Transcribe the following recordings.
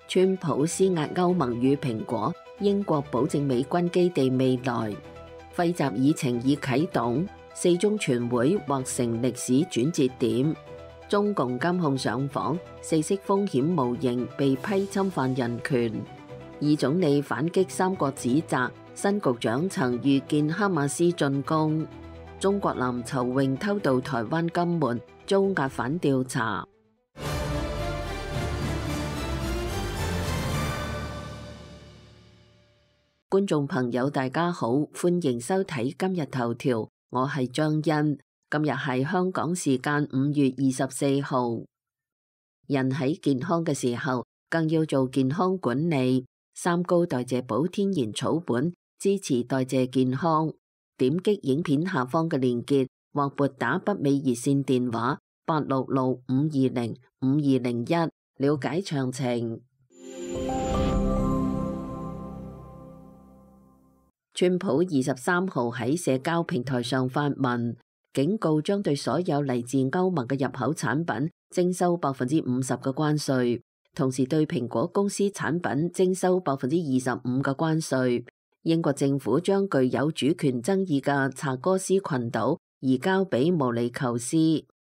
川普施壓歐盟與蘋果，英國保證美軍基地未來。費習議程已啟動，四中全會或成歷史轉折點。中共監控上訪，四式風險無形被批侵犯人權。二總理反擊三國指責，新局長曾預見哈馬斯進攻。中國男籌泳偷渡台灣金門，遭押返調查。觀眾朋友大家好，歡迎收睇今日頭條，我係張欣。今日係香港時間5月24號。人喺健康嘅時候，更要做健康管理。三高代謝寶天然草本，支持代謝健康。點擊影片下方嘅連結，或撥打北美熱線電話866-520-5201，了解詳情。川普23號喺社交平台上發文，警告將對所有嚟自歐盟嘅入口產品徵收50%嘅關稅，同時對蘋果公司產品徵收25%嘅關稅。英國政府將具有主權爭議嘅查哥斯群島移交俾毛里求斯，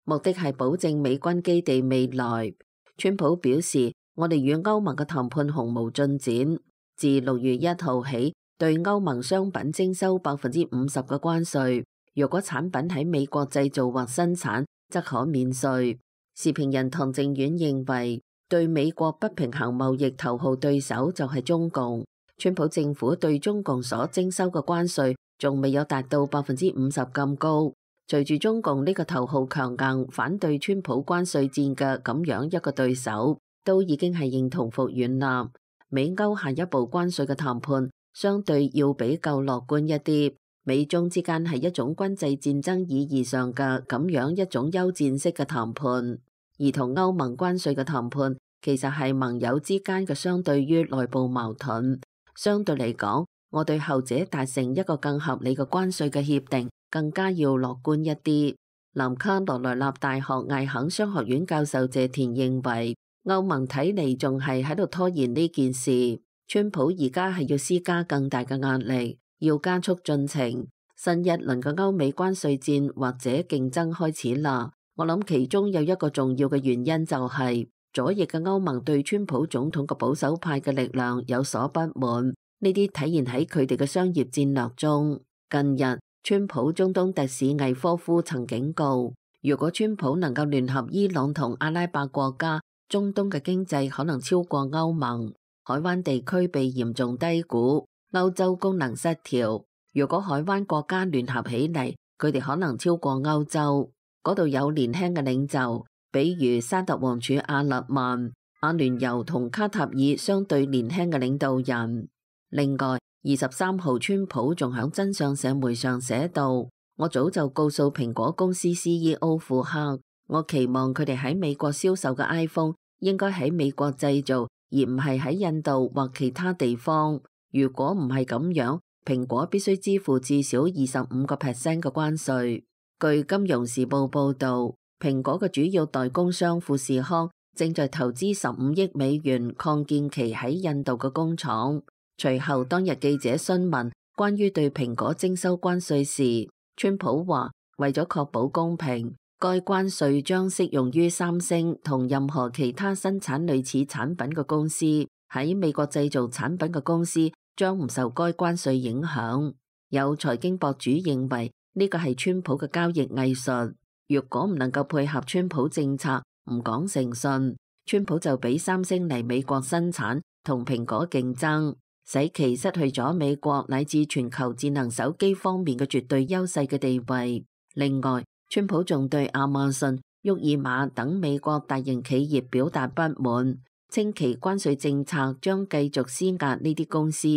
目的係保證美軍基地未來。川普表示，我哋與歐盟嘅談判毫無進展，自6月1號起，對歐盟商品徵收50%嘅關稅，若果產品喺美國製造或生產，則可免稅。時評人唐正遠認為，對美國不平衡貿易頭號對手就係中共。川普政府對中共所徵收嘅關稅仲未有達到50%咁高。隨住中共呢個頭號強硬反對川普關稅戰嘅咁樣一個對手，都已經係認同服軟啦。美歐下一步關稅嘅談判相對要比較樂觀一啲，美中之間係一種軍事戰爭意義上嘅咁樣一種休戰式嘅談判，而同歐盟關稅嘅談判其實係盟友之間嘅相對於內部矛盾。相對嚟講，我對後者達成一個更合理嘅關稅嘅協定更加要樂觀一啲。南卡羅來納大學艾肯商學院教授謝田認為，歐盟睇嚟仲係喺度拖延呢件事。川普而家係要施加更大嘅壓力，要加速進程。新一輪嘅歐美關稅戰或者競爭開始啦。我諗其中有一個重要嘅原因就係左翼嘅歐盟對川普總統嘅保守派嘅力量有所不滿，呢啲體現喺佢哋嘅商業戰略中。近日，川普中東特使魏科夫曾警告，如果川普能夠聯合伊朗同阿拉伯國家，中東嘅經濟可能超過歐盟。海灣地區被嚴重低估，歐洲功能失調。如果海灣國家聯合起嚟，佢哋可能超過歐洲。嗰度有年輕嘅領袖，比如沙特王儲阿勒曼、阿聯酋同卡塔爾相對年輕嘅領導人。另外，23號川普仲響真相社媒上寫道：我早就告訴蘋果公司 CEO 庫克，我期望佢哋喺美國銷售嘅 iPhone 應該喺美國製造，而唔係喺印度或其他地方。如果唔係咁樣，蘋果必須支付至少25% 嘅關稅。據金融時報報道，蘋果嘅主要代工商富士康正在投資15億美元擴建其喺印度嘅工廠。隨後當日記者詢問關於對蘋果徵收關稅時，川普話為咗確保公平，該關稅將適用於三星同任何其他生產類似產品嘅公司。喺美國製造產品嘅公司將唔受該關稅影響。有財經博主認為呢個係川普嘅交易藝術。如果唔能夠配合川普政策，唔講誠信，川普就俾三星嚟美國生產，同蘋果競爭，使其失去咗美國乃至全球智能手機方面嘅絕對優勢嘅地位。另外，川普仲對亞馬遜、沃爾瑪等美國大型企業表達不滿，稱其關稅政策將繼續施壓呢啲公司，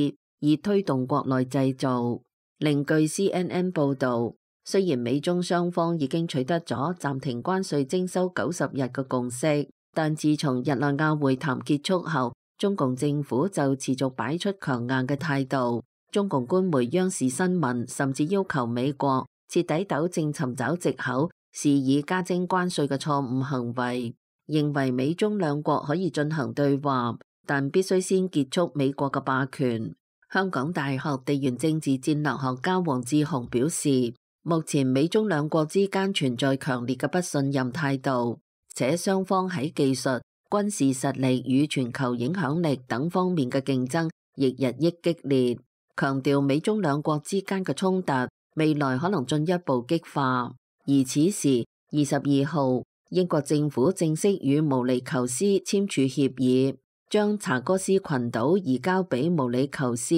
以推動國內製造。另據 CNN 報導，雖然美中雙方已經取得咗暫停關稅徵收90日嘅共識，但自從日內瓦會談結束後，中共政府就持續擺出強硬嘅態度。中共官媒央視新聞甚至要求美國徹底糾正尋找藉口，肆意加徵關稅嘅錯誤行為，認為美中兩國可以進行對話，但必須先結束美國嘅霸權。香港大學地緣政治戰略學家黃志雄表示，目前美中兩國之間存在強烈嘅不信任態度，且雙方喺技術、軍事實力與全球影響力等方面嘅競爭亦日益激烈，強調美中兩國之間嘅衝突未來可能進一步激化。而此時22號，英國政府正式與毛里求斯簽署協議，將查戈斯群島移交俾毛里求斯，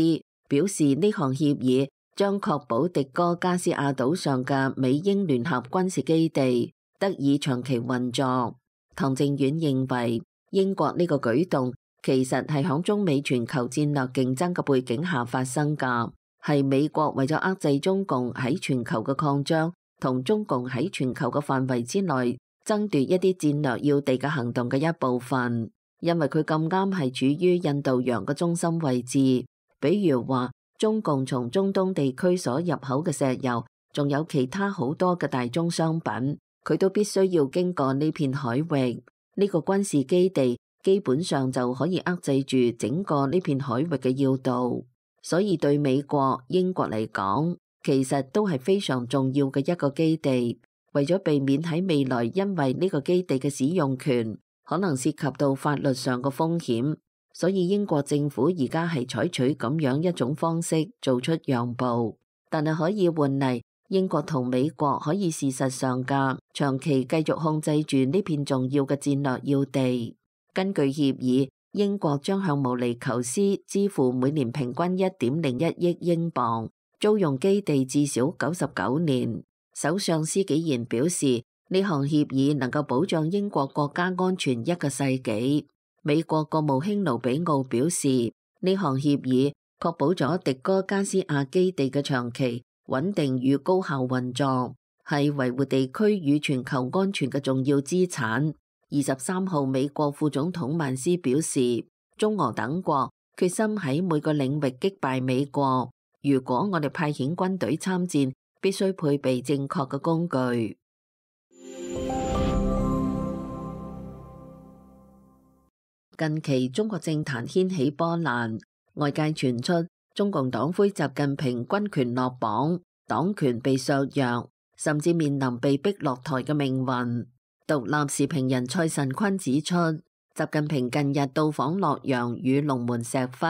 表示呢項協議將確保迪戈加斯亞島上嘅美英聯合軍事基地得以長期運作。唐靖遠認為，英國呢個舉動其實係響中美全球戰略競爭嘅背景下發生㗎，係美國為咗遏制中共喺全球嘅擴張，同中共喺全球嘅範圍之內爭奪一啲戰略要地嘅行動嘅一部分。因為佢咁啱係處於印度洋嘅中心位置，比如話中共從中東地區所入口嘅石油，仲有其他好多嘅大宗商品，佢都必須要經過呢片海域。呢個軍事基地基本上就可以遏制住整個呢片海域嘅要道，所以對美國、英國嚟講，其實都係非常重要嘅一個基地。為咗避免喺未來因為呢個基地嘅使用權可能涉及到法律上嘅風險，所以英國政府而家係採取咁樣一種方式做出讓步，但係可以換嚟英國同美國可以事實上嘅長期繼續控制住呢片重要嘅戰略要地。根據協議，英國將向毛里求斯支付每年平均1.01億英鎊，租用基地至少99年。首相施紀賢表示，呢項協議能夠保障英國國家安全一個世紀。美國國務卿盧比奧表示，呢項協議確保咗迪戈加斯亞基地嘅長期、穩定與高效運作，係維護地區與全球安全嘅重要資產。23號，美國副總統曼斯表示，中俄等國決心喺每個領域擊敗美國。如果我哋派遣軍隊參戰，必須配備正確嘅工具。近期中國政壇掀起波瀾，外界傳出中共黨魁習近平軍權落榜，黨權被削弱，甚至面臨被逼落台嘅命運。獨立時評人蔡慎坤指出，習近平近日到訪洛陽與龍門石窟，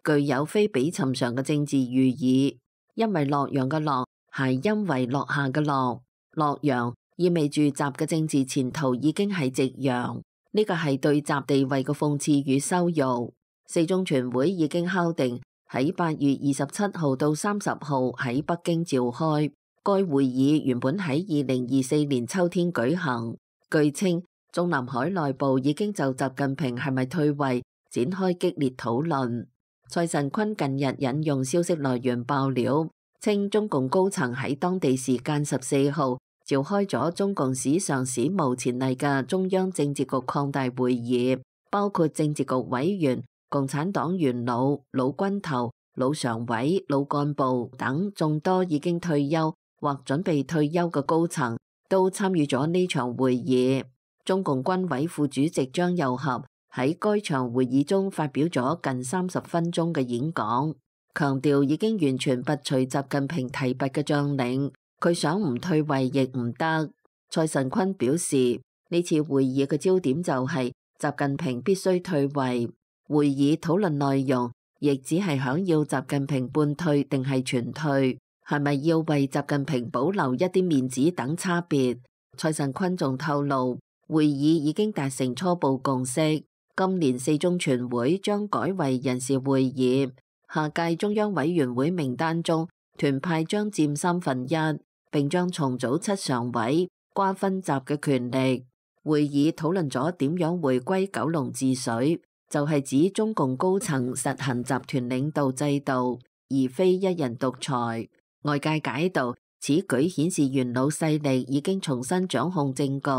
具有非比尋常嘅政治寓意。因為洛陽嘅洛係因為落下嘅落，洛陽意味住習嘅政治前途已經係夕陽。呢個係對習地位嘅諷刺與羞辱。四中全會已經敲定喺8月27號到30號喺北京召開，該會議原本喺2024年秋天舉行。據稱，中南海內部已經就習近平係咪退位展開激烈討論。蔡慎坤近日引用消息來源爆料，稱中共高層喺當地時間14號召開咗中共史上史無前例嘅中央政治局擴大會議，包括政治局委員、共產黨元老、老軍頭、老常委、老幹部等眾多已經退休或準備退休嘅高層都參與咗呢場會議。中共軍委副主席張又俠喺該場會議中發表咗近30分鐘嘅演講，強調已經完全拔除習近平提拔嘅將領，佢想唔退位亦唔得。蔡慎坤表示，呢次會議嘅焦點就係習近平必須退位，會議討論內容亦只係想要習近平半退定係全退，係咪要為習近平保留一啲面子等差別。蔡慎坤仲透露，會議已經達成初步共識，今年四中全會將改為人事會議，下屆中央委員會名單中團派將佔1/3，並將重組7常委，瓜分習嘅權力。會議討論咗點樣回歸九龍治水，就係指中共高層實行集團領導制度，而非一人獨裁。外界解讀此舉顯示元老勢力已經重新掌控政局，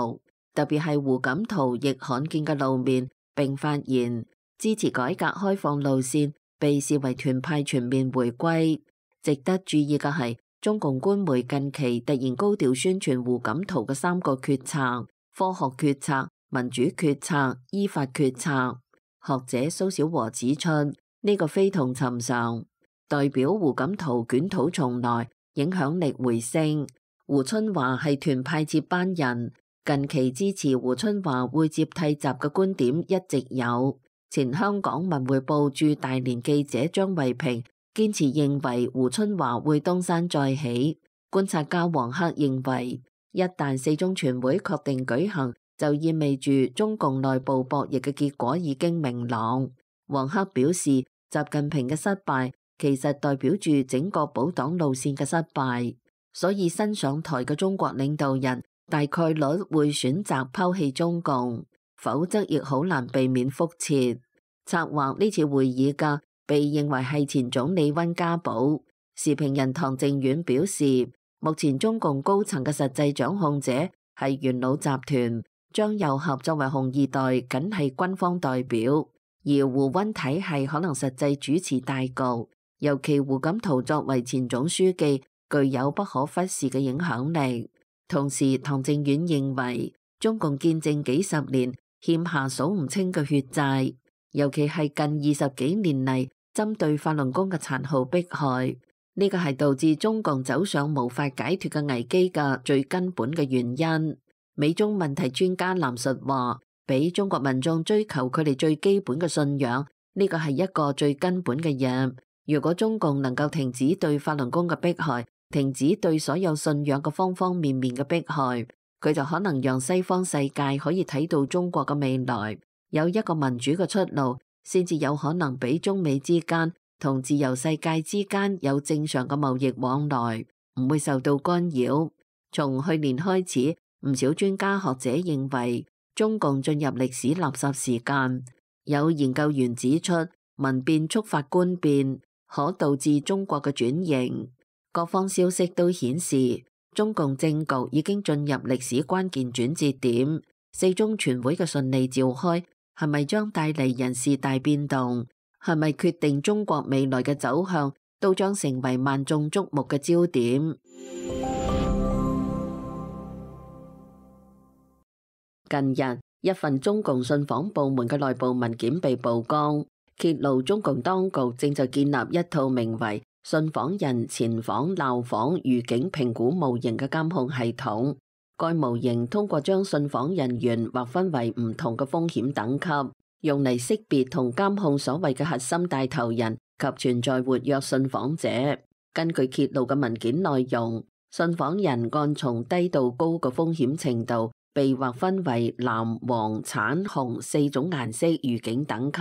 特別係胡錦濤亦罕見嘅露面並發言支持改革開放路線，被視為團派全面回歸。值得注意嘅係，中共官媒近期突然高調宣傳胡錦濤嘅3個決策：科學決策、民主決策、依法決策。學者蘇小和指出，呢個非同尋常，代表胡錦濤捲土重來，影響力回升。胡春華係團派接班人，近期支持胡春華會接替習嘅觀點一直有。前香港文匯報駐大連記者張惠平堅持認為胡春華會東山再起。觀察家黃克認為，一旦四中全會確定舉行，就意味住中共內部博弈嘅結果已經明朗。黃克表示，習近平嘅失敗其實代表住整個保黨路線嘅失敗，所以新上台嘅中國領導人大概率會選擇拋棄中共，否則亦好難避免覆轍。策劃呢次會議嘅被認為係前總理溫家寶。時評人唐靖遠表示，目前中共高層嘅實際掌控者係元老集團，張又俠作為紅二代僅係軍方代表，而胡溫體系可能實際主持大局，尤其胡錦濤作為前總書記具有不可忽視嘅影響力。同時，唐靖遠認為中共建政幾十年欠下數唔清嘅血債，尤其係近20幾年嚟針對法輪功嘅殘酷迫害，呢個係導致中共走上無法解脫嘅危機嘅最根本嘅原因。美中問題專家藍述話，俾中國民眾追求佢哋最基本嘅信仰，呢個係一個最根本嘅嘢。如果中共能夠停止對法輪功嘅迫害，停止對所有信仰嘅方方面面嘅迫害，佢就可能讓西方世界可以睇到中國嘅未來，有一個民主嘅出路，先至有可能俾中美之間同自由世界之間有正常嘅貿易往來，唔會受到干擾。從去年開始，唔少專家學者認為中共進入歷史垃圾時間。有研究員指出，民變觸發官變，可導致中國嘅轉型。各方消息都顯示，中共政局已經進入歷史關鍵轉折點。四中全會嘅順利召開，係咪將帶嚟人事大變動？係咪決定中國未來嘅走向，都將成為萬眾矚目嘅焦點。近日，一份中共信訪部門嘅內部文件被曝光，揭露中共當局正在建立一套名為信訪人前訪、鬧訪、預警評估模型嘅監控系統。該模型通過將信訪人員劃分為唔同嘅風險等級，用嚟識別同監控所謂嘅核心帶頭人及存在活躍信訪者。根據揭露嘅文件內容，信訪人按從低到高嘅風險程度，被劃分為藍、黃、橙、紅4種顏色預警等級，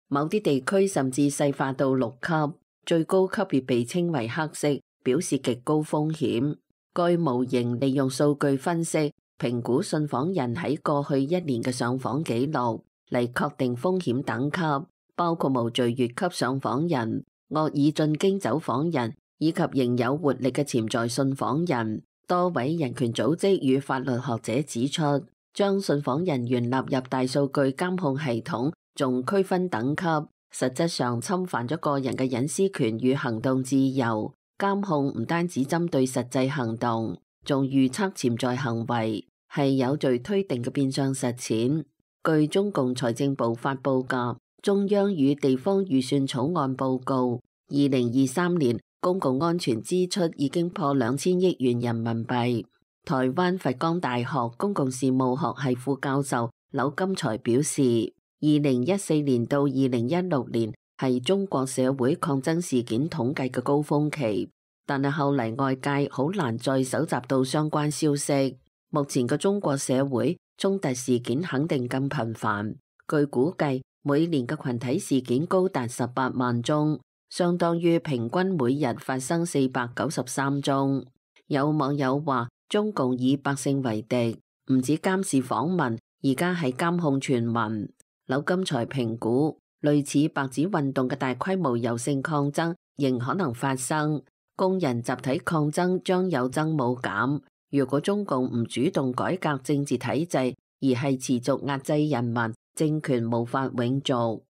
某啲地區甚至細化到6級。最高級別被稱為黑色，表示極高風險。該模型利用數據分析，評估信訪人喺過去1年嘅上訪記錄，嚟確定風險等級，包括無序越級上訪人、惡意進京走訪人，以及仍有活力嘅潛在信訪人。多位人權組織與法律學者指出，將信訪人員納入大數據監控系統，仲區分等級，實質上侵犯咗個人嘅隱私權與行動自由。監控唔單止針對實際行動，仲預測潛在行為，係有罪推定嘅變相實踐。據中共財政部發佈嘅中央與地方預算草案報告，2023年公共安全支出已經破2000億元人民幣。台灣佛光大學公共事務學系副教授柳金才表示，2014年到2016年係中國社會抗爭事件統計嘅高峰期，但係後嚟外界好難再搜集到相關消息。目前嘅中國社會衝突事件肯定更頻繁，據估計每年嘅群體事件高達18萬宗，相當於平均每日發生493宗。有網友話，中共以百姓為敵，唔止監視訪民，而家係監控全民。柳金才評估，類似白紙運動嘅大規模柔性抗爭仍可能發生，工人集體抗爭將有增冇減。如果中共唔主動改革政治體制，而係持續壓制人民，政權無法永續。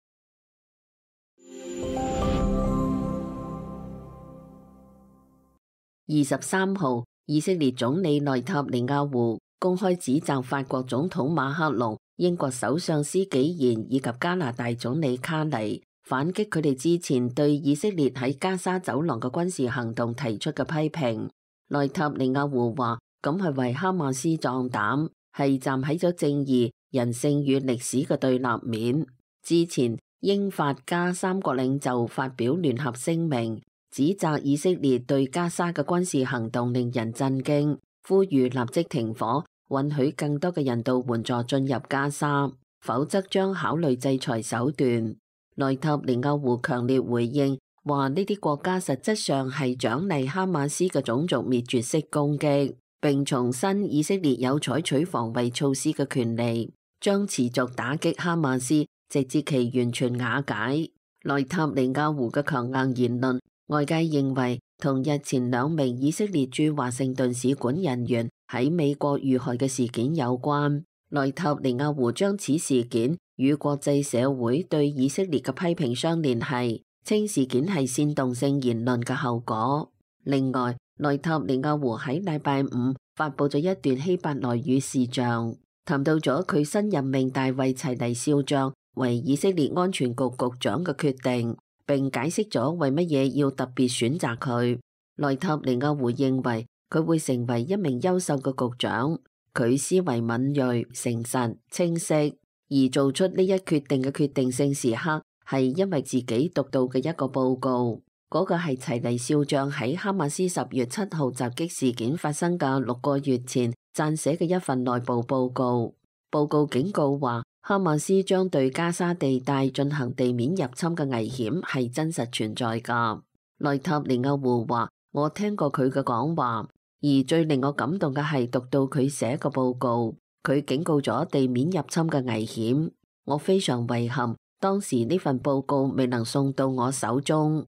23號，以色列總理內塔尼亞胡公開指責法國總統馬克龍英國首相施紀賢以及加拿大總理卡尼反擊佢哋之前對以色列喺加沙走廊嘅軍事行動提出嘅批評。內塔尼亞胡話：咁係為哈馬斯壯膽，係站喺咗正義、人性與歷史嘅對立面。之前英法加三國領袖發表聯合聲明，指責以色列對加沙嘅軍事行動令人震驚，呼籲立即停火，允許更多嘅人道援助進入加沙，否則將考慮制裁手段。內塔尼亞胡強烈回應，話呢啲國家實質上係獎勵哈馬斯嘅種族滅絕式攻擊，並重申以色列有採取防衛措施嘅權利，將持續打擊哈馬斯，直至其完全瓦解。內塔尼亞胡嘅強硬言論，外界認為同日前2名以色列駐華盛頓使館人員喺美國遇害嘅事件有關。內塔尼亞胡將此事件與國際社會對以色列嘅批評相聯繫，稱事件係煽動性言論嘅後果。另外，內塔尼亞胡喺禮拜5發佈咗一段希伯來語視像，談到咗佢新任命大衛齊尼少將為以色列安全局局長嘅決定，並解釋咗為乜嘢要特別選擇佢。內塔尼亞胡認為佢會成為一名優秀嘅局長，佢思維敏銳、誠實、清晰，而做出呢一決定嘅決定性時刻係因為自己讀到嘅一個報告，嗰個係齊尼少將喺哈馬斯10月7號襲擊事件發生嘅6個月前撰寫嘅一份內部報告。報告警告話，哈馬斯將對加沙地帶進行地面入侵嘅危險係真實存在㗎。內塔尼亞胡話：我聽過佢嘅講話，而最令我感動嘅係讀到佢寫嘅報告，佢警告咗地面入侵嘅危險。我非常遺憾，當時呢份報告未能送到我手中。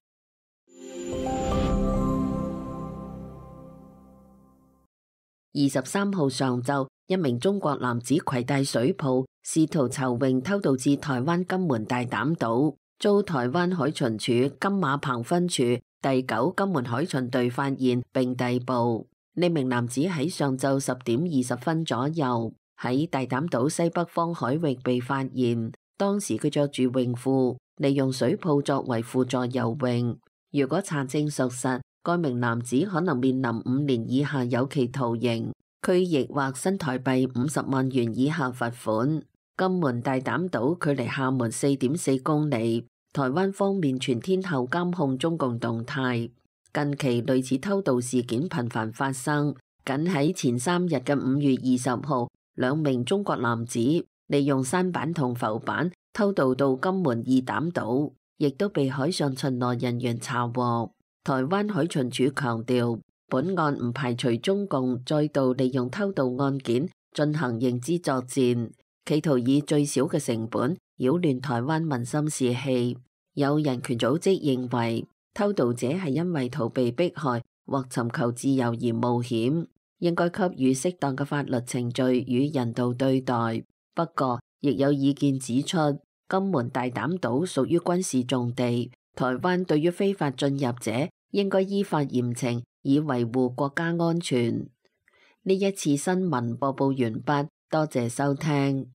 23號上晝，一名中國男子攜帶水泡，試圖籌泳偷渡至台灣金門大膽島，遭台灣海巡署金馬澎分處第9金門海巡隊發現並逮捕。呢名男子喺上晝10點20分左右喺大膽島西北方海域被發現，當時佢着住泳褲，利用水泡作為輔助游泳。如果查證屬實，該名男子可能面臨5年以下有期徒刑、拘役或新台幣50萬元以下罰款。金門大膽島距離廈門4.4公里，台灣方面全天候監控中共動態。近期類似偷渡事件頻繁發生，僅喺前3日嘅5月20號，2名中國男子利用舢板同浮板偷渡到金門二膽島，亦都被海上巡邏人員查獲。台灣海巡署強調，本案唔排除中共再度利用偷渡案件進行認知作戰，企圖以最少嘅成本擾亂台灣民心士氣。有人權組織認為，偷渡者係因為逃避迫害或尋求自由而冒險，應該給予適當嘅法律程序與人道對待。不過，亦有意見指出，金門大膽島屬於軍事重地，台灣對於非法進入者應該依法嚴懲，以維護國家安全。呢一次新聞播報完畢，多謝收聽。